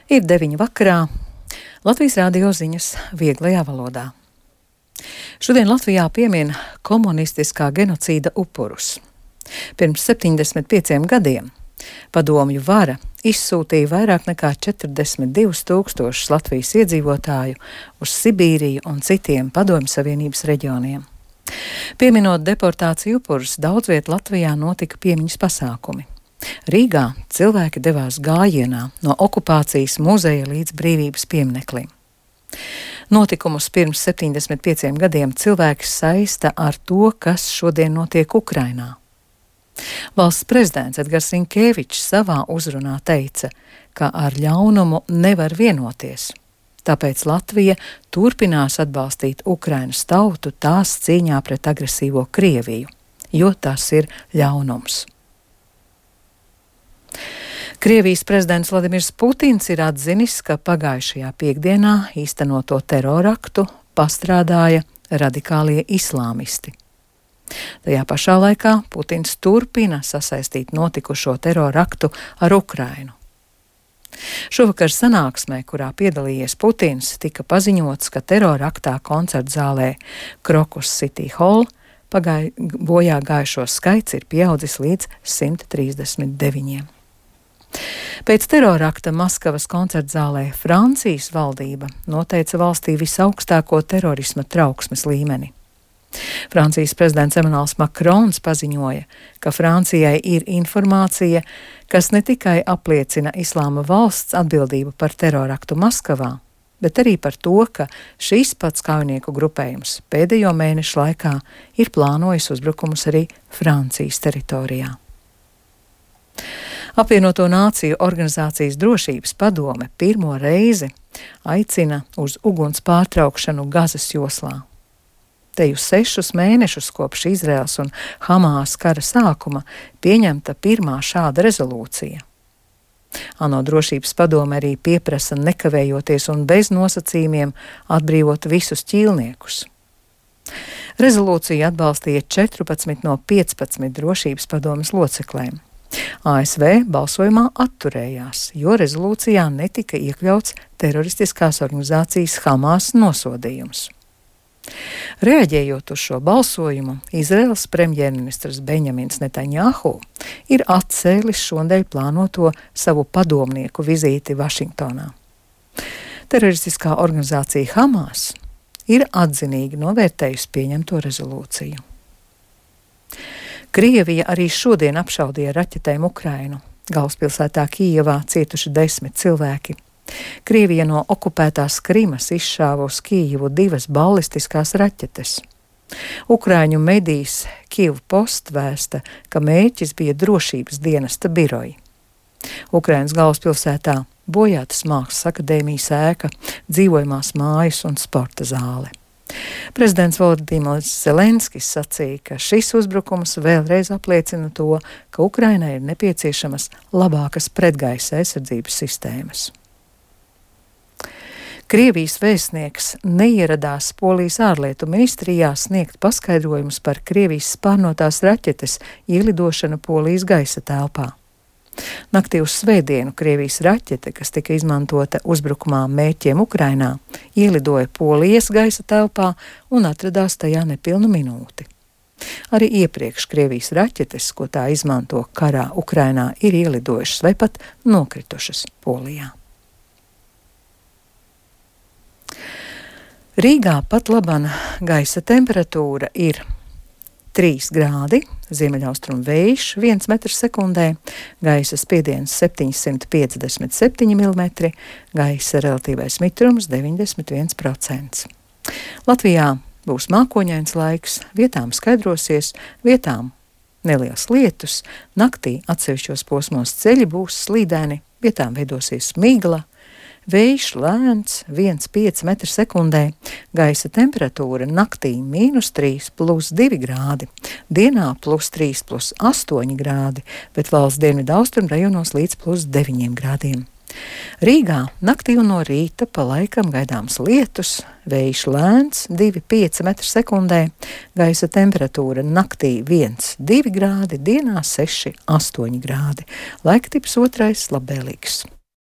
Ir 9 vakarā. Latvijas radio ziņas vieglajā valodā. Šodien Latvijā piemin komunistiskā genocīda upurus. Pirms 75 gadiem padomju vara izsūtīja vairāk nekā 42,000 Latvijas iedzīvotāju uz Sibīriju un citiem Padomju Savienības reģioniem. Pieminot deportāciju upurus, daudz viet Latvijā notika piemiņas pasākumi. Rīgā cilvēki devās gājienā no okupācijas muzeja līdz brīvības piemineklim. Notikumus pirms 75 gadiem cilvēki saista ar to, kas šodien notiek Ukrainā. Valsts prezidents Edgars Rinkēvičs savā uzrunā teica, ka ar ļaunumu nevar vienoties. Tāpēc Latvija turpinās atbalstīt Ukrainas tautu tās cīņā pret agresīvo Krieviju, jo tas ir ļaunums. Krievijas prezidents Vladimirs Putins ir atzinis, ka pagājušajā piekdienā īstenoto teroraktu pastrādāja radikālie islāmisti. Tajā pašā laikā Putins turpina sasaistīt notikušo teroraktu ar Ukrainu. Šovakar sanāksmē, kurā piedalījies Putins, tika paziņots, ka teroraktā koncertzālē Crocus City Hall bojā gājušo skaits ir pieaudzis līdz 139. Pēc terorakta Maskavas koncertzālē Francijas valdība noteica valstī visaugstāko terorisma trauksmes līmeni. Francijas prezidents Emmanuels Macrons paziņoja, ka Francijai ir informācija, kas ne tikai apliecina Islāma valsts atbildību par teroraktu Maskavā, bet arī par to, ka šīs pats kaujinieku grupējums pēdējo mēnešu laikā ir plānojis uzbrukumus arī Francijas teritorijā. Apvienoto Nāciju organizācijas drošības padome pirmo reizi aicina uz uguns pārtraukšanu Gazas joslā. Te jau 6 mēnešus kopš Izraels un Hamās kara sākuma pieņemta pirmā šāda rezolūcija. ANO drošības padome arī pieprasa nekavējoties un bez nosacījumiem atbrīvot visus ķīlniekus. Rezolūciju atbalstīja 14 no 15 drošības padomes locekļiem. ASV balsojumā atturējās, jo rezolūcijā netika iekļauts teroristiskās organizācijas Hamās nosodījums. Reaģējot uz šo balsojumu, Izraels premjerministrs Benjamins Netanjahu ir atcēlis šonedēļ plānoto savu padomnieku vizīti Vašingtonā. Teroristiskā organizācija Hamās ir atzinīgi novērtējusi pieņemto rezolūciju. Krievija arī šodien apšaudīja raķetēm Ukrainu. Galvaspilsētā Kijevā cietuši 10 cilvēki. Krievija no okupētās Krimas izšāva uz Kijevu 2 balistiskās raķetes. Ukraiņu medijs Kyiv Post vēsta, ka mērķis bija drošības dienesta biroji. Ukrainas galvaspilsētā bojātas Mākslas akadēmijas ēka, dzīvojamās mājas un sporta zāle. Prezidents Volodimirs Zelenskis sacīja, ka šis uzbrukums vēlreiz apliecina to, ka Ukrainai ir nepieciešamas labākas pretgaisa aizsardzības sistēmas. Krievijas vēstnieks neieradās Polijas ārlietu ministrijā sniegt paskaidrojumus par Krievijas spārnotās raķetes ielidošanu Polijas gaisa telpā. Naktī uz svētdienu Krievijas raķete, kas tika izmantota uzbrukumā mērķiem Ukrainā, ielidoja Polijas gaisa telpā un atradās tajā nepilnu minūti. Arī iepriekš Krievijas raķetes, ko tā izmanto karā Ukrainā, ir ielidojušas vai pat nokritušas Polijā. Rīgā pat laban gaisa temperatūra ir 3 grādi, ziemeļaustrumu vējš 1 metrs sekundē, gaisa spiediens 757 mm, gaisa relatīvais mitrums 91%. Latvijā būs mākoņains laiks, vietām skaidrosies, vietām neliels lietus, naktī atsevišķos posmos ceļi būs slīdēni, vietām veidosies migla, vējš lēns 1,5 metri sekundē, gaisa temperatūra naktī -3 plus 2 grādi, dienā +3 plus 8 grādi, bet valsts dienvidu austrumu rajonos līdz +9 grādiem. Rīgā naktī un no rīta pa laikam gaidāms lietus, vējš lēns 2,5 metri sekundē, gaisa temperatūra naktī 1,2 grādi, dienā 6,8 grādi. Laiktips otrais labvēlīgs.